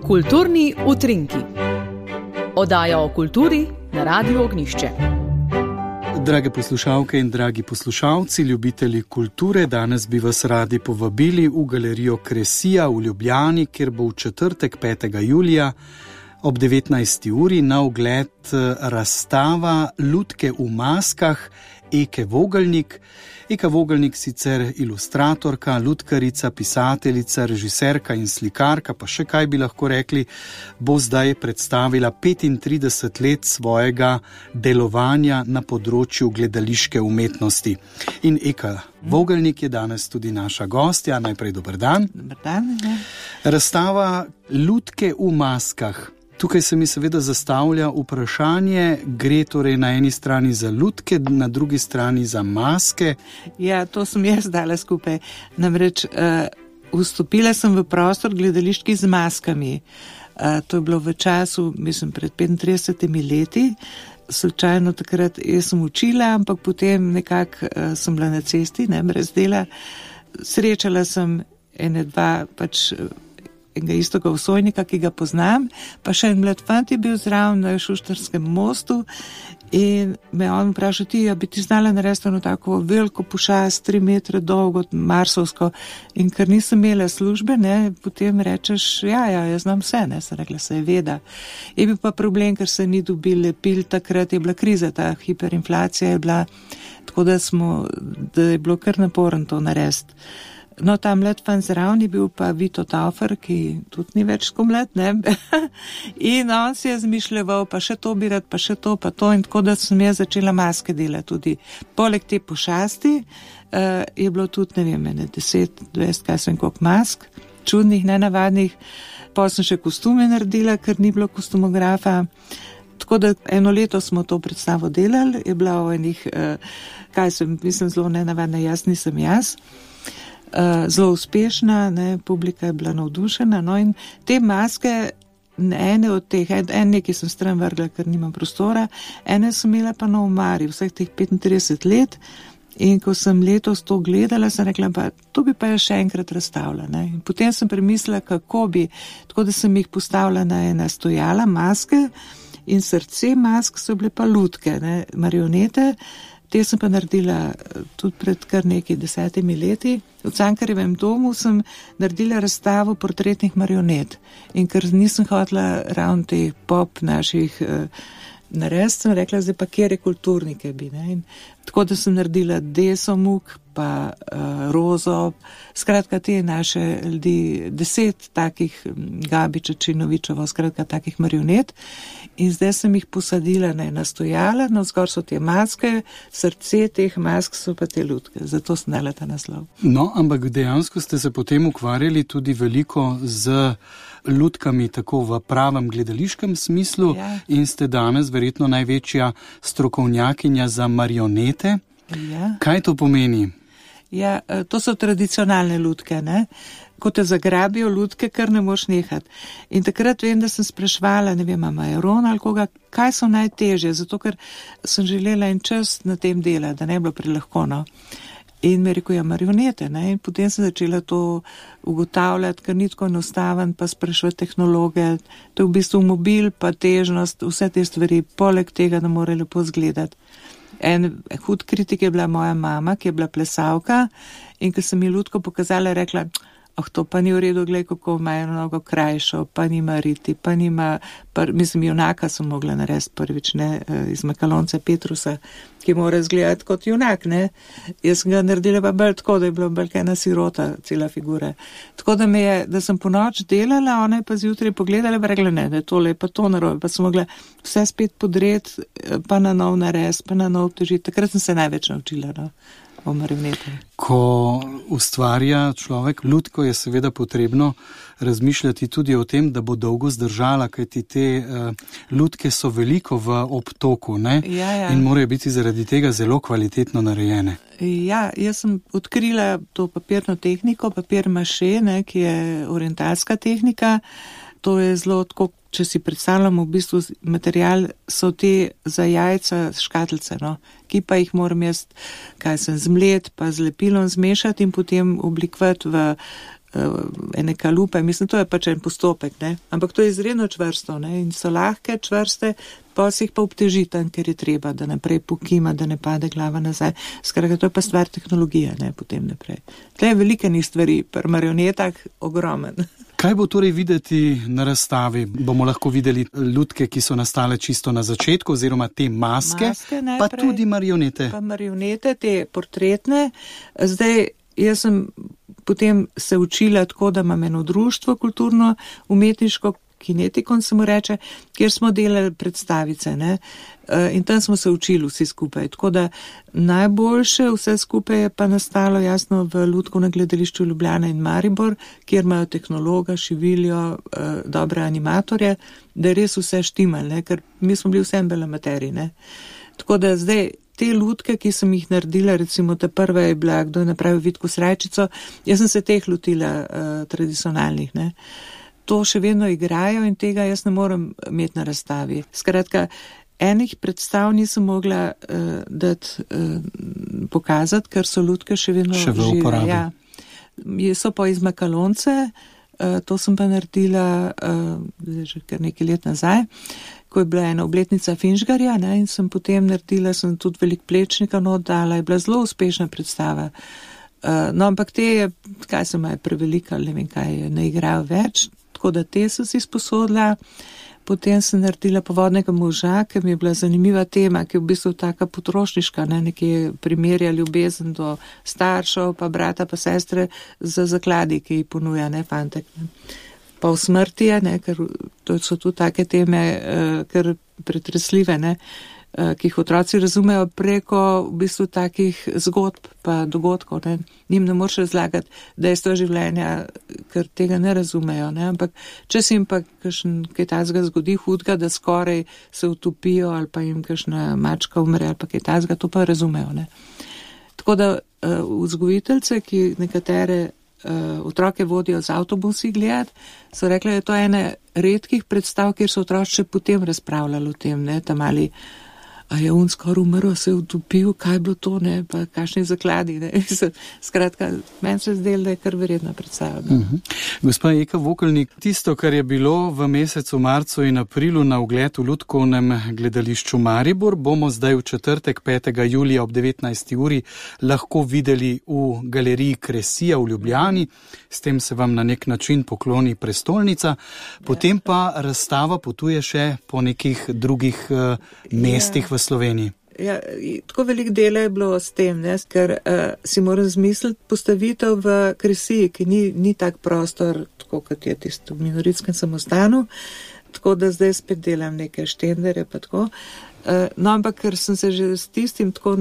Kulturni utrinki. Oddaja o kulturi na Radiu Ognjišče. Drage poslušalke in dragi poslušalci, ljubitelji kulture, danes bi vas radi povabili v galerijo Kresija v Ljubljani, kjer bo v četrtek 5. julija ob 19. uri na ogled razstava Lutke v maskah Eke Vogelnik. Eka Vogelnik, sicer ilustratorka, lutkarica, pisateljica, režiserka in slikarka, pa še kaj bi lahko rekli, bo zdaj predstavila 35 let svojega delovanja na področju gledališke umetnosti. In Eka Vogelnik je danes tudi naša gostja. Najprej dober dan. Dober dan. Razstava Lutke v maskah. Tukaj se mi seveda zastavlja vprašanje, gre torej na eni strani za lutke, na drugi strani za maske. Ja, to sem jaz dala skupaj. Namreč vstopila sem v prostor gledališki z maskami. To je bilo v času, mislim, pred 35 leti. Slučajno takrat jaz sem učila, ampak potem nekako sem bila na cesti, ne, brez dela. Srečala sem dva enega istoga vsojnika, ki ga poznam, pa še en mlad fant je bil zraven na Šuštarskem mostu in me on vprašal, bi ti znala narediti eno tako veliko pošast, 3 metre dolgo, marsovsko, in ker nisem imela službe, ne, potem rečeš, jaz znam vse, ne, sem rekla, se je veda. Je bil pa problem, ker se ni dobil lepil, takrat je bila kriza, ta hiperinflacija je bila, tako da je bilo kar naporno to narediti. No, ta mlad fan zraven je bil pa Vito Taufer, ki tudi ni več tako mlad, ne? In on si je zmišljeval, pa še to bi rad, pa še to, pa to, in tako da sem jaz začela maske delati tudi. Poleg te pošasti je bilo tudi, 10, 20, kaj sem koliko mask, čudnih, nenavadnih. Potem sem še kostume naredila, ker ni bilo kostumografa. Tako da 1 leto smo to predstavo delali, je bila o enih, mislim, zelo nenavadna, jaz nisem jaz. Zelo uspešna, ne, publika je bila navdušena, no, in te maske, ene od teh, nekaj sem stran vrgla, ker nimam prostora, ene sem imela pa na omari vseh teh 35 let, in ko sem letos to gledala, sem rekla, pa to bi pa še enkrat razstavila, ne, in potem sem premislila, kako bi, tako da sem jih postavila na ena stojala, maske, in srce mask so bile pa lutke, ne, marionete. Te sem pa naredila tudi pred kar nekaj 10 leti. V Cankarjevem domu sem naredila razstavo portretnih marionet. In ker nisem hotela ravno teh pop naših narediti, sem rekla, zdaj pa kjer je kulturnike bi. Ne? In tako da sem naredila Desomuk, pa Rozo, skratka te naše ljudi, 10 takih Gabiča, Činovičevo, skratka takih marionet. In zdaj sem jih posadila na stojala, no zgor so te maske, srce teh mask so pa te lutke, zato sem dala ta naslov. No, ampak dejansko ste se potem ukvarjali tudi veliko z lutkami, tako v pravem gledališkem smislu, in ste danes verjetno največja strokovnjakinja za marionete. Ja. Kaj to pomeni? Ja, to so tradicionalne lutke, ne? Ko te zagrabijo lutke, kar ne moš nehati. In takrat vem, da sem spraševala, Majeron ali koga, kaj so najtežje, zato ker sem želela en čas na tem dela, da ne bi bilo prelahko, no. In mi rekel, marionete, ne, in potem sem začela to ugotavljati, ker ni tako enostaven, pa spraševati tehnologe, to je v bistvu mobil, pa težnost, vse te stvari, poleg tega, da mora lepo zgledati. En hud kritik je bila moja mama, ki je bila plesavka, in ko sem ji lutko pokazala, je rekla, to pa ni v redu, glej, kako ima mnogo krajšo, pa nima riti, pa nima, junaka sem mogla narediti prvič, ne, iz Makalonca Petrusa, ki mora izgledati kot junak, ne. Jaz sem ga naredila pa bolj tako, da je bila bolj ena sirota, cela figura. Tako da sem po noč delala, ona je pa zjutraj pogledala, pa rekla, ne, tole je pa to narobe, pa sem mogla vse spet podreti, pa na nov narediti, pa na nov obtežiti. Takrat sem se največ naučila, no. Ko ustvarja človek lutko, je seveda potrebno razmišljati tudi o tem, da bo dolgo zdržala, kajti te lutke so veliko v obtoku, ne? Ja. In morajo biti zaradi tega zelo kvalitetno narejene. Ja, jaz sem odkrila to papirno tehniko, papir maše, ne, ki je orientalska tehnika. To je zelo tako, če si predstavljamo v bistvu material, so te za jajca škatlice, no, ki pa jih moram jaz, zmlet, pa z lepilom zmešati in potem oblikovati v ene kalupe, mislim, to je pač en postopek, ne? Ampak to je izredno čvrsto, ne? In so lahke, čvrste, pa se jih pa obteži tam, ker je treba, da naprej pokima, da ne pade glava nazaj. Skratka, to je pa stvar tehnologije, ne, potem naprej. Tle je velike stvari, pri marionetah ogromen. Kaj bo torej videti na razstavi? Bomo lahko videli lutke, ki so nastale čisto na začetku, oziroma te maske najprej, pa tudi marionete. Pa marionete, te portretne. Zdaj, jaz sem potem se učila tako, da imam eno društvo kulturno, umetniško, Kinetikon se mu reče, kjer smo delali predstavice, ne? In tam smo se učili vsi skupaj. Tako da najboljše vse skupaj je pa nastalo jasno v Lutkovnem gledališču Ljubljana in Maribor, kjer imajo tehnologa, šiviljo, dobre animatorje, da je res vse štimal, ne? Ker mi smo bili vsem belamateri, ne? Tako da zdaj te lutke, ki sem jih naredila, recimo ta prva je bila, kdo je napravil Vitko Srajčico, jaz sem se teh lotila tradicionalnih, ne? To še vedno igrajo in tega jaz ne morem imeti na razstavi. Skratka, enih predstav nisem mogla pokazati, ker so lutke še vedno žive. Ja. So pa iz makalonce, to sem pa naredila že kar nekaj let nazaj, ko je bila ena obletnica Finžgarja, ne, in sem potem naredila, sem tudi velik plečnika oddala, je bila zelo uspešna predstava. No, ampak te je, kaj sem je prevelika, ne vem kaj, ne igrajo več, tako da te sem si sposodila. Potem sem naredila Povodnega moža, ki mi je bila zanimiva tema, ki je v bistvu taka potrošniška, ne, nekje primerja ljubezen do staršev, pa brata, pa sestre za zakladi, ki jih ponuja, ne, fantek. Ne. Pa v smrti je, ne, ker to so tu take teme, ker pretresljive, ne, ki jih otroci razumejo preko v bistvu takih zgodb pa dogodkov, ne. Njim ne moreš razlagati dejstva življenja, ker tega ne razumejo, ne. Ampak če se jim pa kaj tazga zgodi hudega, da skoraj se utopijo ali pa jim kakšna mačka umre ali pa kaj tazga, to pa razumejo, ne. Tako da vzgojiteljce, ki nekatere otroke vodijo z avtobusi gledati, so rekli, da je to ene redkih predstav, kjer so otroci potem razpravljali o tem, ne, tam ali a je on skoraj umrl, se je utopil, kaj je bilo to, ne, pa kakšni zakladi, ne. Skratka, meni se zdelo, da je kar verjetna predstava. Gospa Eka Vokelnik, tisto, kar je bilo v mesecu marcu in aprilu na ogled v Lutkovnem gledališču Maribor, bomo zdaj v četrtek 5. julija ob 19. uri lahko videli v galeriji Kresija v Ljubljani. S tem se vam na nek način pokloni prestolnica. Potem pa razstava potuje še po nekih drugih mestih v Sloveniji. Ja, tako velik dela je bilo s tem, ne, ker si moram zmisliti postavitev v Kresiji, ki ni tak prostor, tako kot je tisto v Minoritskem samostanu, tako da zdaj spet delam neke štendere pa tako. No, ampak ker sem se že s tistim tako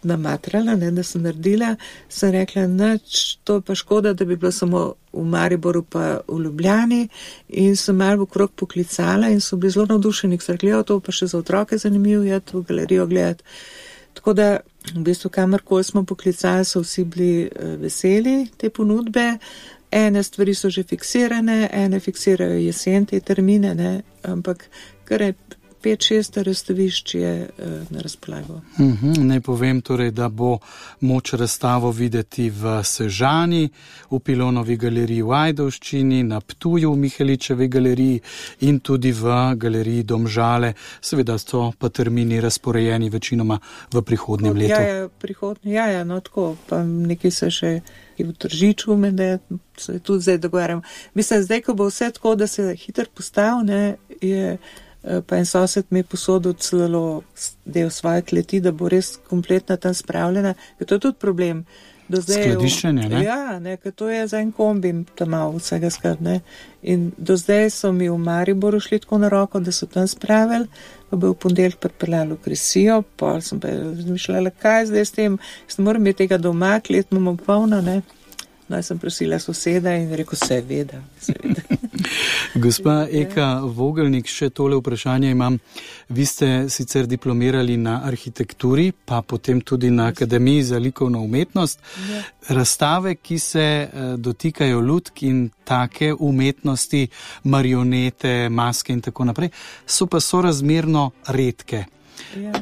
namatrala, ne, da sem naredila, sem rekla, nič, to pa škoda, da bi bilo samo v Mariboru pa v Ljubljani, in sem malo okrog poklicala in so bili zelo navdušeni, ker so rekli, to pa še za otroke zanimivo je v galerijo gledati. Tako da, v bistvu, kamorkoli smo poklicali, so vsi bili veseli te ponudbe. Ene stvari so že fiksirane, ene fiksirajo jesen te termine, ne, ampak kar je 5-6 razstavišč je na razpolago. Naj povem torej, da bo moč razstavo videti v Sežani, v Pilonovi galeriji v Ajdovščini, na Ptuju v Miheličevi galeriji in tudi v galeriji Domžale. Seveda so pa termini razporejeni večinoma v prihodnjem letu. Ja, no tako, pa nekaj se še v Tržiču, da se tudi zdaj dogovarjam. Mislim, zdaj, ko bo vse tako, da se hitro postav, ne, je pa en sosed mi je posodil celo del svoje kleti, da bo res kompletna tam spravljena, ker to je tudi problem. Skladiščenje, ne? Ja, ne, ker to je za en kombi tam malo vsega skrat, ne. In do zdaj so mi v Mariboru šli tako na roko, da so tam spravili, pa bi v ponedeljek pripeljali v Kresijo, pa sem pa razmišljala, kaj zdaj s tem, jaz ne moram imeti tega doma, klet imamo polno, ne. No, jaz sem prosila soseda in rekel, seveda. Gospa Eka Vogelnik, še tole vprašanje imam. Vi ste sicer diplomirali na arhitekturi, pa potem tudi na Akademiji za likovno umetnost. Ja. Razstave, ki se dotikajo lutk in take umetnosti, marionete, maske in tako naprej, so pa sorazmerno redke.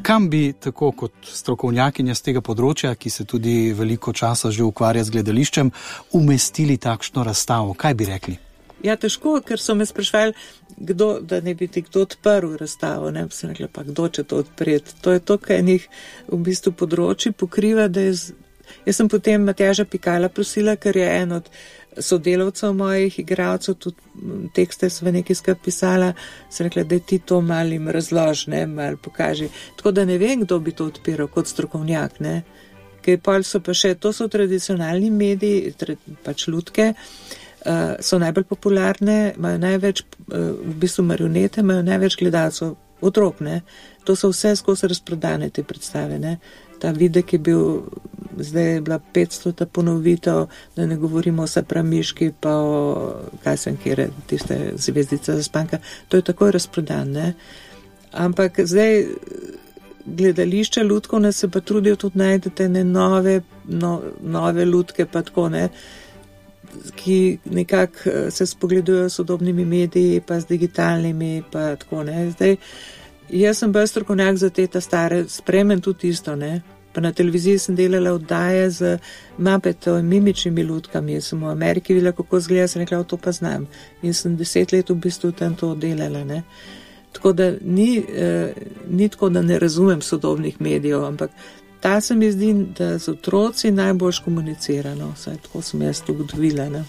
Kam bi, tako kot strokovnjakinja z tega področja, ki se tudi veliko časa že ukvarja z gledališčem, umestili takšno razstavo? Kaj bi rekli? Ja, težko, ker so me sprašvali, da ne bi ti kdo odprl razstavo, ne bi se rekla, pa kdo če to odpreti. To je to, kaj enih v bistvu področji pokriva, da jaz sem potem Matjaža Pikala prosila, ker je en od sodelavcev mojih igralcev, tudi tekste sva nekaj skupaj pisala, sem rekla, da ti to malo jim razloži, ne, malo pokaži. Tako da ne vem, kdo bi to odpiral kot strokovnjak, ne. Ker pol so pa še, to so tradicionalni mediji, pač lutke, so najbolj popularne, imajo največ, v bistvu marionete, imajo največ gledalcev, otrok, ne. To so vse skozi razprodane te predstave, ne. Ta videk je bil, zdaj je bila 500 ponovitev, da ne govorimo o Sapramiški, pa o, kaj sem kjer, tiste Zvezdica zaspanka, to je takoj razprodan, ne. Ampak zdaj gledališče lutkovne se pa trudijo tudi najdete ne nove lutke, pa tako, ne, ki nekako se spogledujejo s sodobnimi mediji, pa z digitalnimi, pa tako, ne. Zdaj, jaz sem bolj strokovnjak za te ta stare, spremem tudi isto, ne. Pa na televiziji sem delala oddaje z Mappetom in mimičnimi lutkami. Jaz sem v Ameriki videla, kako zgleda, sem rekla, to pa znam. In sem 10 let v bistvu tam to delala, ne. Tako da ni tako, da ne razumem sodobnih medijev, ampak ta se mi zdi, da z otroci najbolj komunicira, no, vsaj tako sem jaz to ugotovila, ne.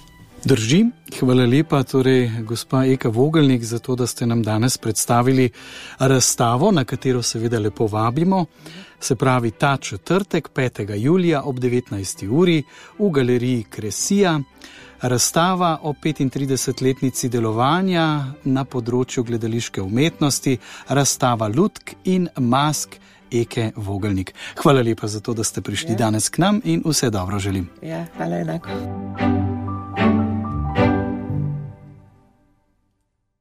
Drži, hvala lepa, torej gospa Eka Vogelnik, za to, da ste nam danes predstavili razstavo, na katero seveda lepo vabimo, se pravi ta četrtek, 5. julija ob 19. uri v galeriji Kresija, razstava o 35-letnici delovanja na področju gledališke umetnosti, razstava lutk in mask Eke Vogelnik. Hvala lepa za to, da ste prišli danes k nam in vse dobro želim. Ja, hvala enako.